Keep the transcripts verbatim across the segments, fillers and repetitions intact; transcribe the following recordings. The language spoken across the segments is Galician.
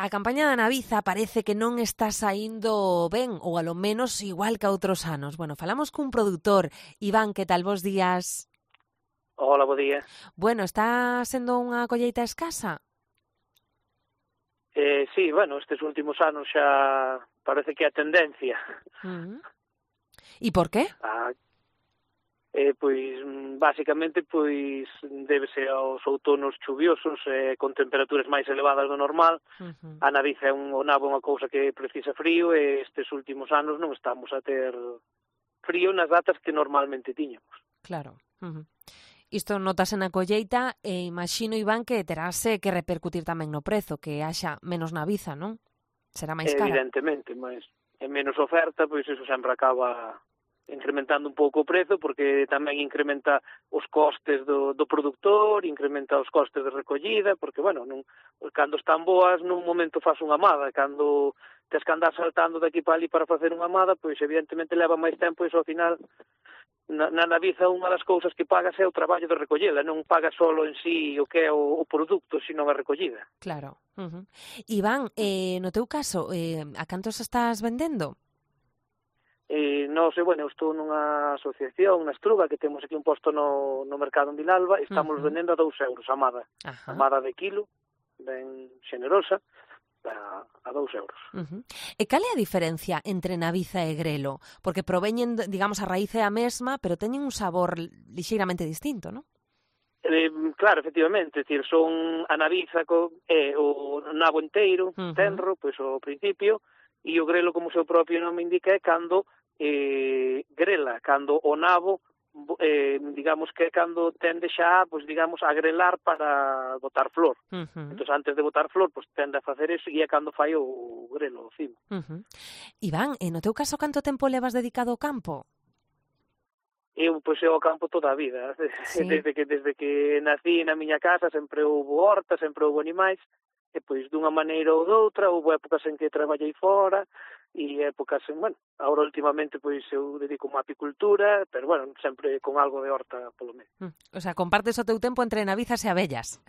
A campaña da Naviza parece que non está saíndo ben, ou alo menos igual que a outros anos. Bueno, falamos cun produtor. Iván, que tal, bos días? Hola, bo día. Bueno, está sendo unha colleita escasa? Eh, sí, bueno, estes últimos anos xa parece que é a tendencia. Uh -huh. E por qué? Ah, eh, pois, basicamente, pois, débese aos outonos chuviosos, eh, con temperaturas máis elevadas do normal. Uh -huh. A Naviza é un, o nabo é unha cousa que precisa frío e estes últimos anos non estamos a ter frío nas datas que normalmente tiñamos. Claro. Uh -huh. Isto notase na colleita e imagino, Iván, que terase que repercutir tamén no prezo, que haxa menos Naviza, non? Será máis cara. Evidentemente, mas é menos oferta, pois iso sempre acaba incrementando un pouco o prezo, porque tamén incrementa os costes do, do produtor, incrementa os costes de recollida, porque, bueno, non, cando están boas, nun momento faz unha amada, cando tes que andar saltando de aquí para ali para facer unha amada, pois evidentemente leva máis tempo e iso ao final na, na Naviza unha das cousas que pagas é o traballo de recollela, non pagas solo en sí o que é o, o produto, sino a recollida. Claro. Uh -huh. Iván, eh, no teu caso, eh, a cantos estás vendendo? E non sei, bueno, eu estou nunha asociación, na Estruga, que temos aquí un posto no, no mercado en Vilalba, e estamos Uh-huh. vendendo a dous euros a amada. Ajá. Amada de kilo, ben xenerosa, a, a dous euros. Uh-huh. E cal é a diferencia entre Naviza e grelo? Porque proveñen, digamos, a raíz é a mesma, pero teñen un sabor lixeiramente distinto, non? Eh, claro, efectivamente, decir, son a Naviza co, eh, o nabo enteiro, uh-huh. tenro, pois ao principio, e o grelo, como o seu propio nome indica, é cando eh, grela, cando o nabo, eh, digamos que é cando tende xa, pois digamos, a grelar para botar flor. Uh-huh. Entón, antes de botar flor, pois tende a facer eso e é cando fai o grelo, o cimo. Uh-huh. Iván, e no teu caso, canto tempo levas dedicado ao campo? Eu, pois, eu ao campo toda a vida. Sí. Desde que desde que nací na miña casa sempre houve horta, sempre houve animais, e pois dunha maneira ou doutra, houve épocas en que traballei fora, e épocas en, bueno, agora últimamente pois eu dedico-me á apicultura, pero bueno, sempre con algo de horta polo medio. Mm. O sea, compartes o teu tempo entre navizas e abellas.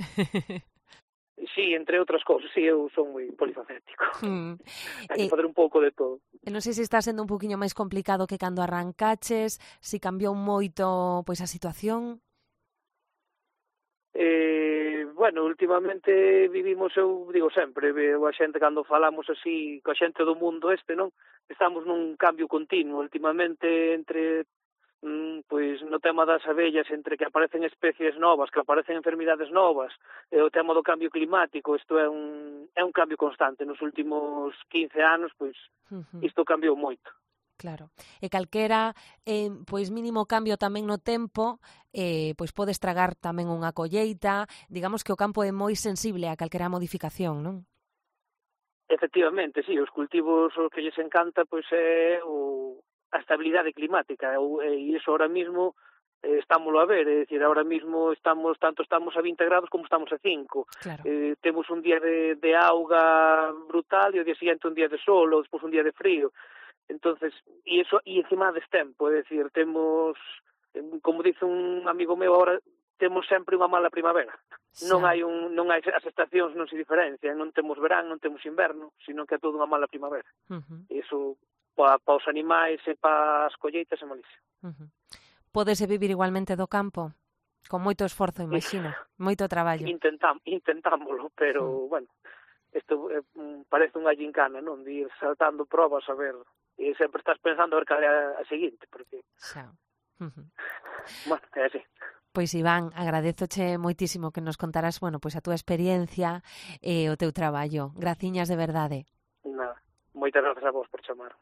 Sí, entre outras cousas, sí, eu son moi polifacético. Mm. Hai que fazer un pouco de todo. Non sei se está sendo un poquinho máis complicado que cando arrancaches, se cambiou moito pois a situación. Eh, bueno, últimamente vivimos, eu digo sempre, a xente cando falamos así, coa xente do mundo este, non? Estamos nun cambio continuo, últimamente entre, mm, pois, no tema das abellas, entre que aparecen especies novas, que aparecen enfermidades novas, e o tema do cambio climático, isto é un, é un cambio constante, nos últimos quince anos, pois, uh-huh. isto cambiou moito. Claro, e calquera eh, pois mínimo cambio tamén no tempo eh, pois pode estragar tamén unha colleita, digamos que o campo é moi sensible a calquera modificación, non? Efectivamente, sí, os cultivos o que lles encanta pois é o, a estabilidade climática, e iso ahora mismo eh, estámoslo a ver, é dicir, ahora mismo estamos tanto estamos a vinte grados como estamos a cinco. Claro. Eh, temos un día de, de auga brutal e o día seguinte un día de sol ou despois un día de frío. Entonces, e iso e encima de tempo, é dicir, temos, como dice un amigo meu agora, temos sempre unha mala primavera. Xa. Non hai un non hai as estacións non se diferencian, non temos verán, non temos inverno, sino que é toda unha mala primavera. Uh-huh. E iso para pa os animais e para as colleitas é malísimo. Uh-huh. Pódese vivir igualmente do campo? Con moito esforzo, imagino, moito traballo. Intentam, intentámoslo, pero, uh-huh. bueno, isto eh, parece unha gincana, non? De ir saltando probas a ver. E sempre estás pensando a ver cal é a seguinte, porque... Xa. Uh-huh. Bueno, é así. Pois, Iván, agradezoche moitísimo que nos contaras, bueno, pois a túa experiencia e o teu traballo. Graciñas de verdade. Nada, moitas grazas a vos por chamar.